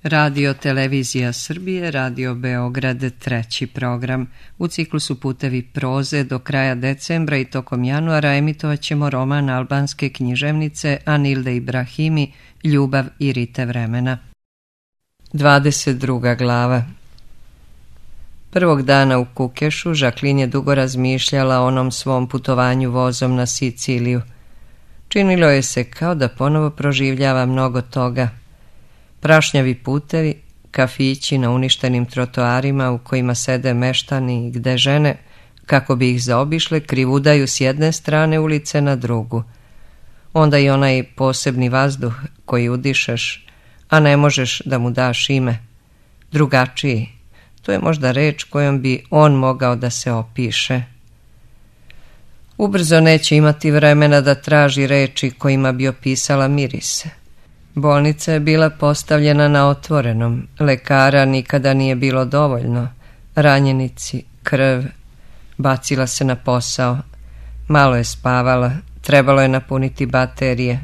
Radio Televizija Srbije, Radio Beograd, treći program. U ciklusu Putevi proze do kraja decembra i tokom januara emitovat ćemo roman albanske književnice Anilde Ibrahimi Ljubav i rite vremena. 22. glava. Prvog dana u Kukešu Jacqueline je dugo razmišljala o onom svom putovanju vozom na Siciliju. Činilo je se kao da ponovo proživljava mnogo toga. Prašnjavi putevi, kafići na uništenim trotoarima u kojima sede meštani i gde žene, kako bi ih zaobišle, krivudaju s jedne strane ulice na drugu. Onda i onaj posebni vazduh koji udišeš, a ne možeš da mu daš ime. Drugačiji, to je možda reč kojom bi on mogao da se opiše. Ubrzo neće imati vremena da traži reči kojima bi opisala mirise. Bolnica je bila postavljena na otvorenom, lekara nikada nije bilo dovoljno, ranjenici, krv, bacila se na posao, malo je spavala, trebalo je napuniti baterije.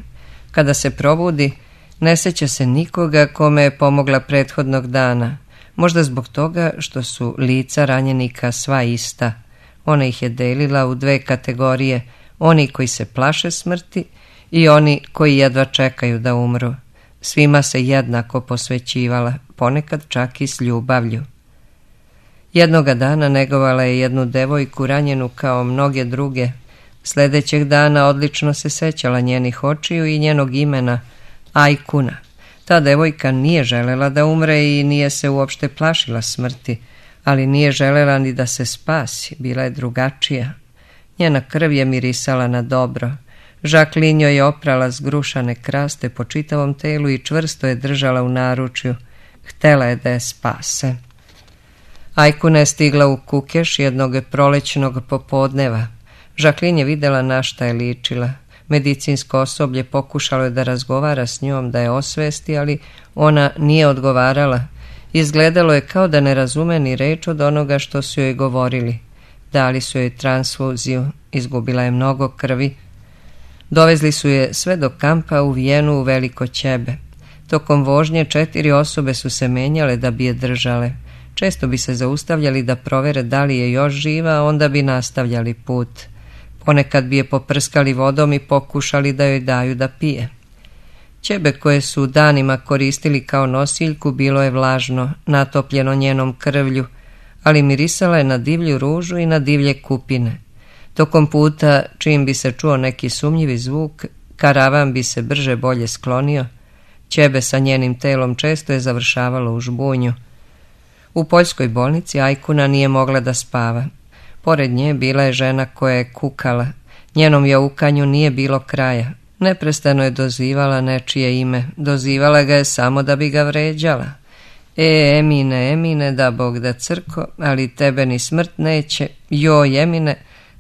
Kada se probudi, ne seća se nikoga kome je pomogla prethodnog dana, možda zbog toga što su lica ranjenika sva ista. Ona ih je delila u dve kategorije, oni koji se plaše smrti i oni koji jedva čekaju da umru. Svima se jednako posvećivala, ponekad čak i s ljubavlju. Jednoga dana negovala je jednu devojku ranjenu kao mnoge druge. Sljedećeg dana odlično se sećala njenih očiju i njenog imena, Ajkuna. Ta devojka nije želela da umre i nije se uopšte plašila smrti, ali nije želela ni da se spasi, bila je drugačija. Njena krv je mirisala na dobro. Jacqueline joj je oprala zgrušane kraste po čitavom telu i čvrsto je držala u naručju. Htela je da je spase. Ajkuna je stigla u Kukeš jednog prolećnog popodneva. Jacqueline je videla na šta je ličila. Medicinsko osoblje pokušalo je da razgovara s njom, da je osvesti, ali ona nije odgovarala. Izgledalo je kao da ne razume ni reč od onoga što su joj govorili. Dali su joj transfuziju, izgubila je mnogo krvi. Dovezli su je sve do kampa u Vijenu u Veliko Ćebe. Tokom vožnje 4 osobe su se menjale da bi je držale. Često bi se zaustavljali da provere da li je još živa, a onda bi nastavljali put. Ponekad bi je poprskali vodom i pokušali da joj daju da pije. Ćebe koje su danima koristili kao nosiljku bilo je vlažno, natopljeno njenom krvlju, ali mirisala je na divlju ružu i na divlje kupine. Tokom puta, čim bi se čuo neki sumnjivi zvuk, karavan bi se brže bolje sklonio. Ćebe sa njenim telom često je završavalo u žbunju. U poljskoj bolnici Ajkuna nije mogla da spava. Pored nje bila je žena koja je kukala. Njenom jaukanju nije bilo kraja. Neprestano je dozivala nečije ime. Dozivala ga je samo da bi ga vređala. Emine, Emine, da Bog da crko, ali tebe ni smrt neće. Joj, Emine,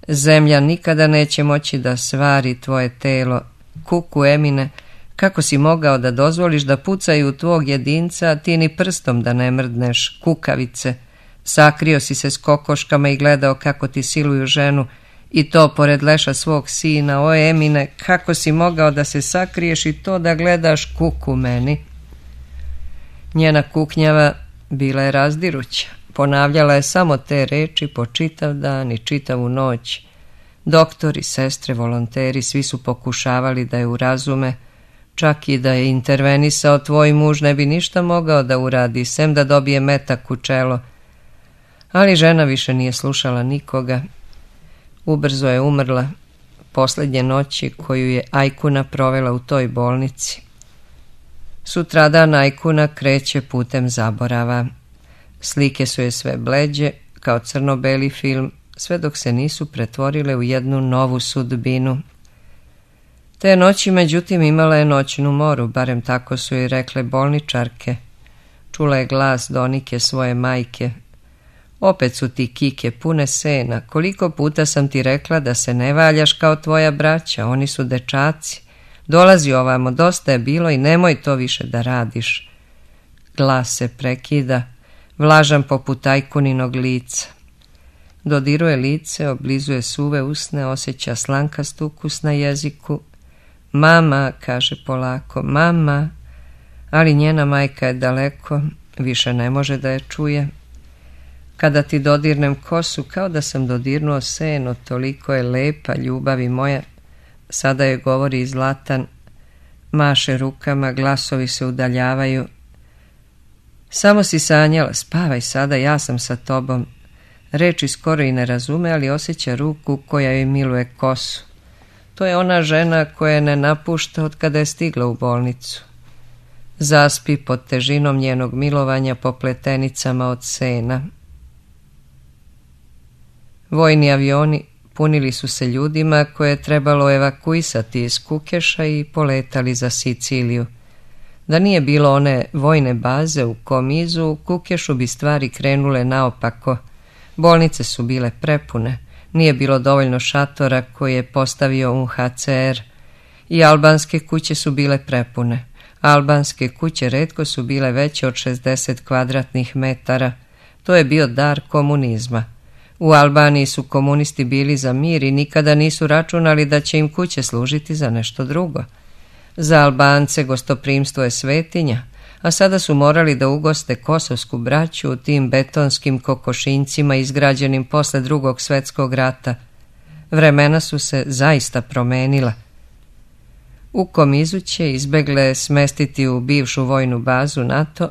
zemlja nikada neće moći da svari tvoje telo. Kuku, Emine, kako si mogao da dozvoliš da pucaju tvog jedinca, a ti ni prstom da ne mrdneš, kukavice. Sakrio si se s kokoškama i gledao kako ti siluju ženu, i to pored leša svog sina. O, Emine, kako si mogao da se sakriješ i to da gledaš, kuku meni. Njena kuknjava bila je razdiruća. Ponavljala je samo te reči po čitav dan i čitavu noć. Doktori, sestre, volonteri, svi su pokušavali da je urazume. Čak i da je intervenisao tvoj muž ne bi ništa mogao da uradi, sem da dobije metak u čelo. Ali žena više nije slušala nikoga. Ubrzo je umrla, posljednje noći koju je Ajkuna provela u toj bolnici. Sutradan Ajkuna kreće putem zaborava. Slike su je sve bleđe, kao crno-beli film, sve dok se nisu pretvorile u jednu novu sudbinu. Te noći, međutim, imala je noćnu moru, barem tako su joj rekle bolničarke. Čula je glas Donike, svoje majke. Opet su ti kike pune sena, koliko puta sam ti rekla da se ne valjaš kao tvoja braća, oni su dečaci. Dolazi ovamo, dosta je bilo i nemoj to više da radiš. Glas se prekida, vlažan poput Ajkuninog lica. Dodiruje lice, oblizuje suve usne, osjeća slankast ukus na jeziku. Mama, kaže polako, mama. ali njena majka je daleko, više ne može da je čuje. Kada ti dodirnem kosu, kao da sam dodirnuo seno, toliko je lepa, ljubavi moja. Sada je govori Zlatan, maše rukama, glasovi se udaljavaju. Samo si sanjala, spavaj sada, ja sam sa tobom. Reči skoro i ne razume, ali osjeća ruku koja joj miluje kosu. To je ona žena koja je ne napušta od kada je stigla u bolnicu. Zaspi pod težinom njenog milovanja po pletenicama od sena. Vojni avioni punili su se ljudima koje je trebalo evakuisati iz Kukeša i poletali za Siciliju. Da nije bilo one vojne baze u Komizu, u Kukešu bi stvari krenule naopako. Bolnice su bile prepune, nije bilo dovoljno šatora koje je postavio UNHCR. I albanske kuće su bile prepune. Albanske kuće retko su bile veće od 60 kvadratnih metara. To je bio dar komunizma. U Albaniji su komunisti bili za mir i nikada nisu računali da će im kuće služiti za nešto drugo. Za Albance gostoprimstvo je svetinja, a sada su morali da ugoste kosovsku braću u tim betonskim kokošinjcima izgrađenim posle Drugog svjetskog rata. Vremena su se zaista promenila. U Komizu će izbegle smestiti u bivšu vojnu bazu NATO,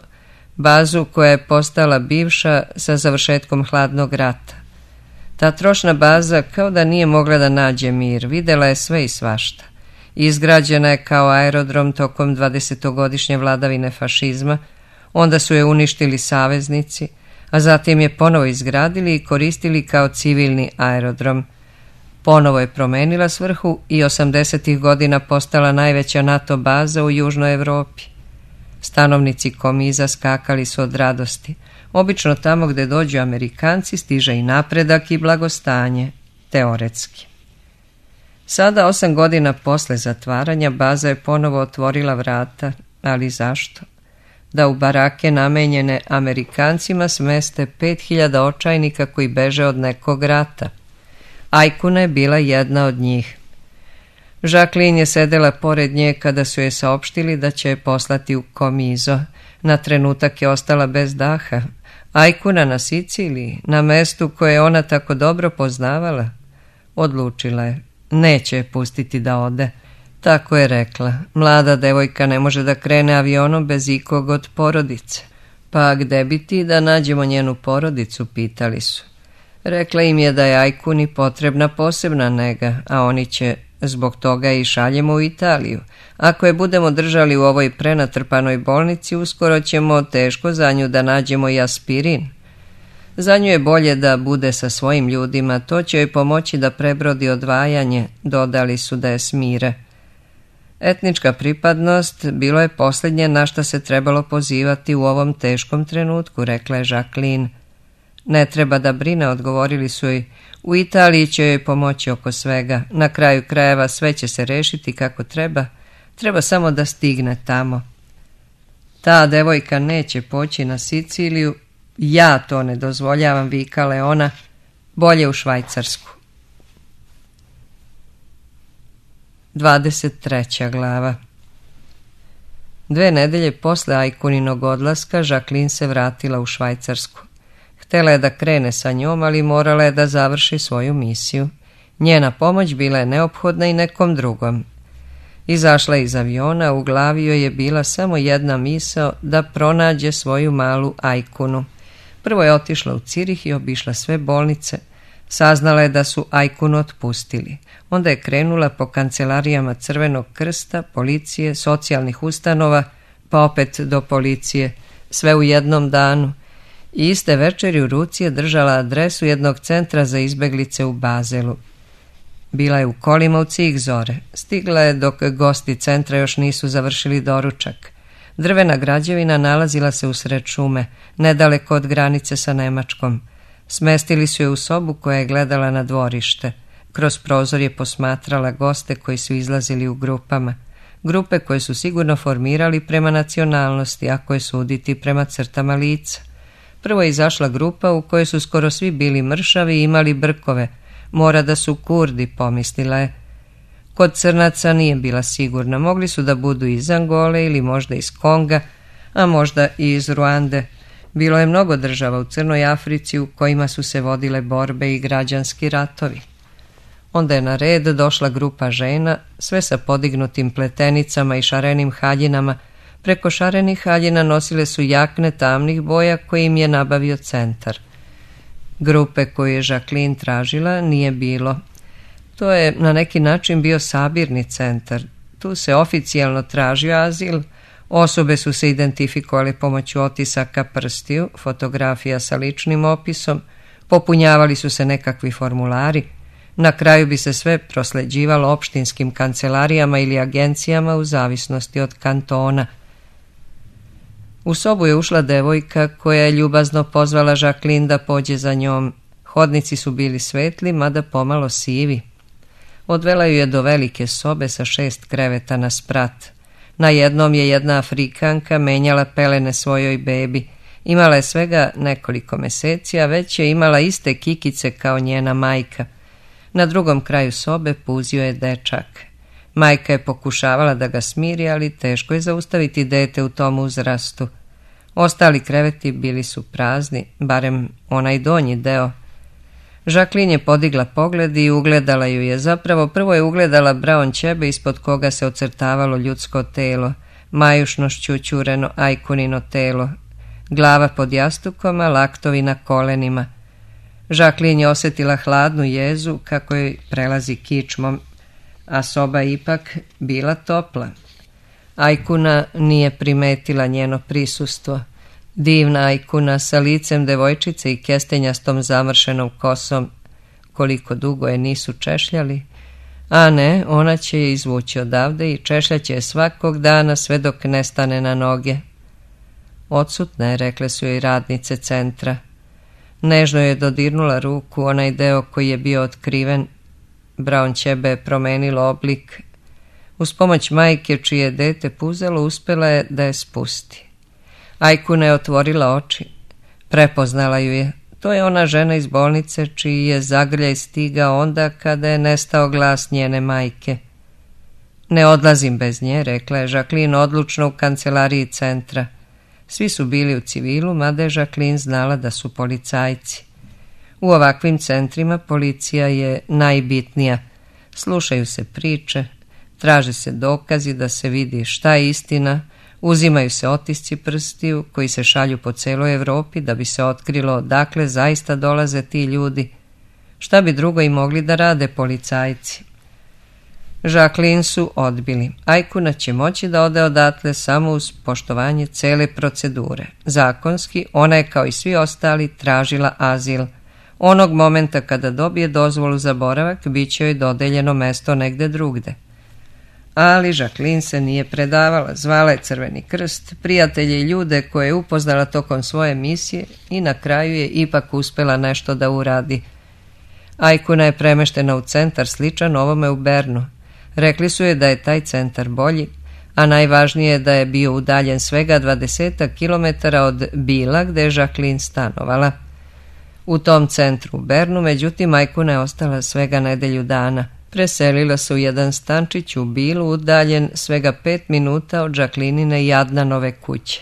bazu koja je postala bivša sa završetkom hladnog rata. Ta trošna baza kao da nije mogla da nađe mir, videla je sve i svašta. Izgrađena je kao aerodrom tokom 20-godišnje vladavine fašizma, onda su je uništili saveznici, a zatim je ponovo izgradili i koristili kao civilni aerodrom. Ponovo je promenila svrhu i 80-ih godina postala najveća NATO baza u Južnoj Evropi. Stanovnici Komiza skakali su od radosti. Obično tamo gde dođu Amerikanci stiže i napredak i blagostanje, teoretski. Sada, 8 godina posle zatvaranja, baza je ponovo otvorila vrata, ali zašto? Da u barake namenjene Amerikancima smeste 5000 očajnika koji beže od nekog rata. Ajkuna je bila jedna od njih. Jacqueline je sedela pored nje kada su je saopštili da će je poslati u Komizo. Na trenutak je ostala bez daha. Ajkuna na Siciliji, na mestu koje je ona tako dobro poznavala. Odlučila je, neće je pustiti da ode. Tako je rekla, mlada devojka ne može da krene avionom bez ikog od porodice. Pa gde bi ti da nađemo njenu porodicu, pitali su. Rekla im je da je Ajkuni potrebna posebna nega, a oni će zbog toga i šaljemo u Italiju. Ako je budemo držali u ovoj prenatrpanoj bolnici, uskoro ćemo teško za nju da nađemo i aspirin. Za nju je bolje da bude sa svojim ljudima, to će joj pomoći da prebrodi odvajanje, dodali su da je smire. Etnička pripadnost bilo je posljednje na šta se trebalo pozivati u ovom teškom trenutku, rekla je Jacqueline. Ne treba da brine, odgovorili su joj. U Italiji će joj pomoći oko svega. Na kraju krajeva sve će se rešiti kako treba. Treba samo da stigne tamo. Ta devojka neće poći na Siciliju. Ja to ne dozvoljavam, vikala je ona. Bolje u Švajcarsku. 23. glava. 2 nedelje posle Ajkuninog odlaska Jacqueline se vratila u Švajcarsku. Htela je da krene sa njom, ali morala je da završi svoju misiju. Njena pomoć bila je neophodna i nekom drugom. Izašla iz aviona, u glavi joj je bila samo jedna misao, da pronađe svoju malu Ajkunu. Prvo je otišla u Cirih i obišla sve bolnice. Saznala je da su Ajkunu otpustili. Onda je krenula po kancelarijama Crvenog krsta, policije, socijalnih ustanova, pa opet do policije, sve u jednom danu. I iste večeri u ruci je držala adresu jednog centra za izbeglice u Bazelu. Bila je u kolima u cih zore. Stigla je dok gosti centra još nisu završili doručak. Drvena građevina nalazila se usred šume, nedaleko od granice sa Nemačkom. Smestili su je u sobu koja je gledala na dvorište. Kroz prozor je posmatrala goste koji su izlazili u grupama. Grupe koje su sigurno formirali prema nacionalnosti, a koje suditi prema crtama lica. Prvo je izašla grupa u kojoj su skoro svi bili mršavi i imali brkove. Mora da su Kurdi, pomislila je. Kod crnaca nije bila sigurna, mogli su da budu iz Angole ili možda iz Konga, a možda i iz Ruande. Bilo je mnogo država u Crnoj Africi u kojima su se vodile borbe i građanski ratovi. Onda je na red došla grupa žena, sve sa podignutim pletenicama i šarenim haljinama. Preko šarenih haljina nosile su jakne tamnih boja koje im je nabavio centar. Grupe koju je Jacqueline tražila nije bilo. To je na neki način bio sabirni centar. Tu se oficijalno tražio azil. Osobe su se identifikovali pomoću otisaka prstiju, fotografija sa ličnim opisom, popunjavali su se nekakvi formulari. Na kraju bi se sve prosleđivalo opštinskim kancelarijama ili agencijama u zavisnosti od kantona. U sobu je ušla devojka koja je ljubazno pozvala Jacqueline da pođe za njom. Hodnici su bili svetli, mada pomalo sivi. Odvela ju je do velike sobe sa 6 kreveta na sprat. Na jednom je jedna Afrikanka menjala pelene svojoj bebi. Imala je svega nekoliko meseci, a već je imala iste kikice kao njena majka. Na drugom kraju sobe puzio je dečak. Majka je pokušavala da ga smiri, ali teško je zaustaviti dete u tom uzrastu. Ostali kreveti bili su prazni, barem onaj donji deo. Jacqueline je podigla pogled i ugledala ju je. Zapravo prvo je ugledala braon ćebe ispod koga se ocrtavalo ljudsko telo, majušno šćućureno ajkunino telo, glava pod jastukom, a laktovi na kolenima. Jacqueline je osjetila hladnu jezu kako joj prelazi kičmom, a soba ipak bila topla. Ajkuna nije primetila njeno prisustvo. Divna Ajkuna sa licem devojčice i kestenjastom zamršenom kosom. Koliko dugo je nisu češljali. A ne, ona će je izvući odavde i češljaće je svakog dana sve dok ne stane na noge. Odsutna je, rekle su joj radnice centra. Nežno je dodirnula ruku, onaj deo koji je bio otkriven. Braon ćebe je promenilo oblik. Uz pomoć majke čije je dete puzelo uspjela je da je spusti. Ajkuna je otvorila oči. Prepoznala ju je. To je ona žena iz bolnice čiji je zagrljaj stigao onda kada je nestao glas njene majke. Ne odlazim bez nje, rekla je Jacqueline odlučno u kancelariji centra. Svi su bili u civilu, mada je Jacqueline znala da su policajci. U ovakvim centrima policija je najbitnija. Slušaju se priče, traže se dokazi da se vidi šta je istina, uzimaju se otisci prstiju koji se šalju po celoj Evropi da bi se otkrilo odakle zaista dolaze ti ljudi. Šta bi drugo i mogli da rade policajci? Jacqueline su odbili. Ajkuna će moći da ode odatle samo uz poštovanje cele procedure. Zakonski, ona je kao i svi ostali tražila azil. Onog momenta kada dobije dozvolu za boravak, bit će joj dodeljeno mesto negde drugde. Ali Jacqueline se nije predavala, zvala je Crveni krst, prijatelje i ljude koje je upoznala tokom svoje misije i na kraju je ipak uspjela nešto da uradi. Ajkuna je premeštena u centar sličan ovome u Bernu. Rekli su je da je taj centar bolji, a najvažnije je da je bio udaljen svega 20 km od Bila gde je Jacqueline stanovala. U tom centru u Bernu, međutim, Ajkuna je ostala svega nedelju dana. Preselila se u jedan stančić u Bilu, udaljen svega 5 minuta od Jacqueline i Adnanove kuće.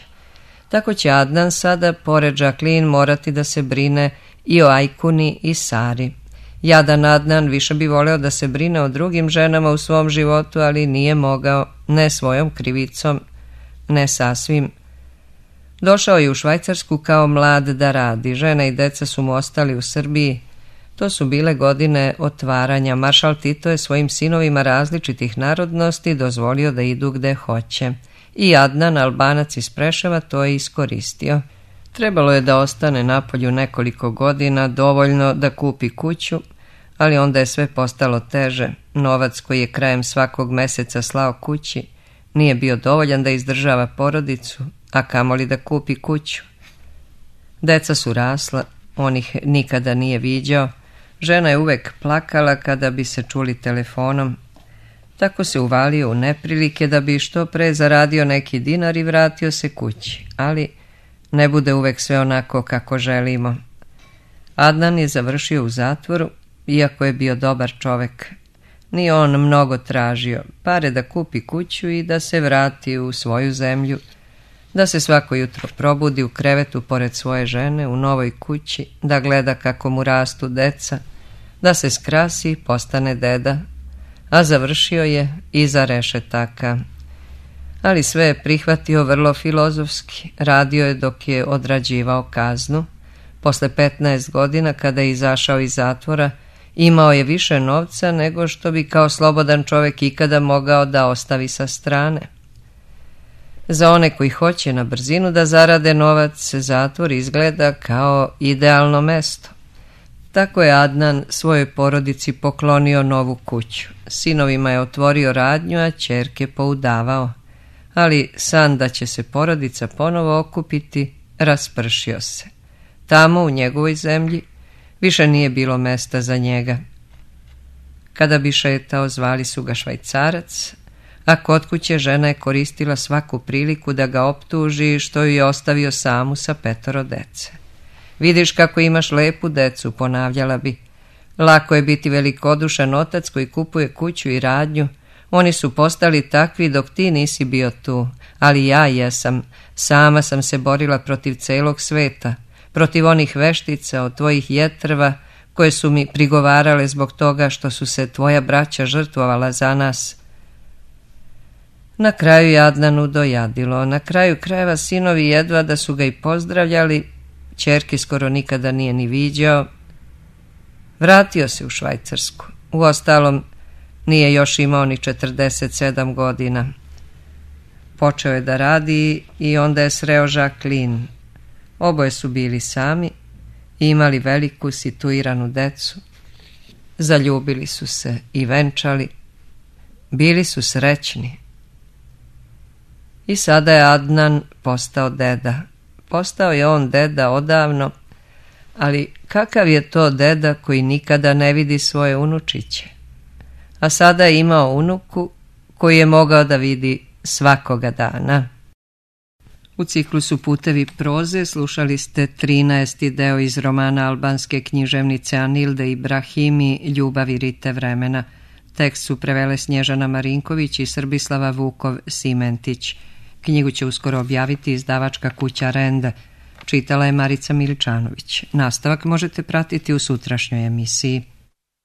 Tako će Adnan sada, pored Jacqueline, morati da se brine i o Ajkuni i Sari. Jadan Adnan više bi voleo da se brine o drugim ženama u svom životu, ali nije mogao, ne svojom krivicom, ne sasvim. Došao je u Švajcarsku kao mlad da radi. Žena i deca su mu ostali u Srbiji. To su bile godine otvaranja. Maršal Tito je svojim sinovima različitih narodnosti dozvolio da idu gde hoće. I Adnan, Albanac iz Preševa, to je iskoristio. Trebalo je da ostane napolju nekoliko godina, dovoljno da kupi kuću, ali onda je sve postalo teže. Novac koji je krajem svakog meseca slao kući nije bio dovoljan da izdržava porodicu, a kamoli da kupi kuću. Deca su rasla, on ih nikada nije viđao. Žena je uvek plakala kada bi se čuli telefonom. Tako se uvalio u neprilike da bi što pre zaradio neki dinar i vratio se kući, ali ne bude uvek sve onako kako želimo. Adnan je završio u zatvoru, iako je bio dobar čovek. Nije on mnogo tražio, pare da kupi kuću i da se vrati u svoju zemlju. da se svako jutro probudi u krevetu pored svoje žene u novoj kući, da gleda kako mu rastu deca, da se skrasi, postane deda, a završio je iza rešetaka. Ali sve je prihvatio vrlo filozofski, radio je dok je odrađivao kaznu. Posle 15 godina, kada je izašao iz zatvora, imao je više novca nego što bi kao slobodan čovjek ikada mogao da ostavi sa strane. Za one koji hoće na brzinu da zarade novac, zatvor izgleda kao idealno mesto. Tako je Adnan svojoj porodici poklonio novu kuću. Sinovima je otvorio radnju, a ćerke poudavao. Ali san da će se porodica ponovo okupiti raspršio se. Tamo, u njegovoj zemlji, više nije bilo mesta za njega. Kada bi šetao, zvali su ga Švajcarac, a kod kuće žena je koristila svaku priliku da ga optuži što ju je ostavio samu sa 5 dece. Vidiš kako imaš lepu decu, ponavljala bi. Lako je biti velikodušan otac koji kupuje kuću i radnju. Oni su postali takvi dok ti nisi bio tu, ali ja jesam. Sama sam se borila protiv celog sveta, protiv onih veštica od tvojih jetrva koje su mi prigovarale zbog toga što su se tvoja braća žrtvovala za nas. Na kraju je Adnanu dojadilo. Na kraju krajeva sinovi jedva da su ga i pozdravljali, ćerke skoro nikada nije ni viđao. Vratio se u Švajcarsku. Uostalom, nije još imao ni 47 godina. Počeo je da radi i onda je sreo Jacqueline. Oboje su bili sami i imali veliku situiranu decu. Zaljubili su se i venčali. Bili su srećni. I sada je Adnan postao deda. Postao je on deda odavno, ali kakav je to deda koji nikada ne vidi svoje unučiće? A sada je imao unuku koji je mogao da vidi svakoga dana. U ciklusu Putevi proze slušali ste 13. deo iz romana albanske književnice Anilde Ibrahimi Ljubav i rite vremena. Tekst su prevele Snježana Marinković i Srbislava Vukov-Simentić. Knjigu će uskoro objaviti izdavačka kuća Renda. Čitala je Marica Miličanović. Nastavak možete pratiti u sutrašnjoj emisiji.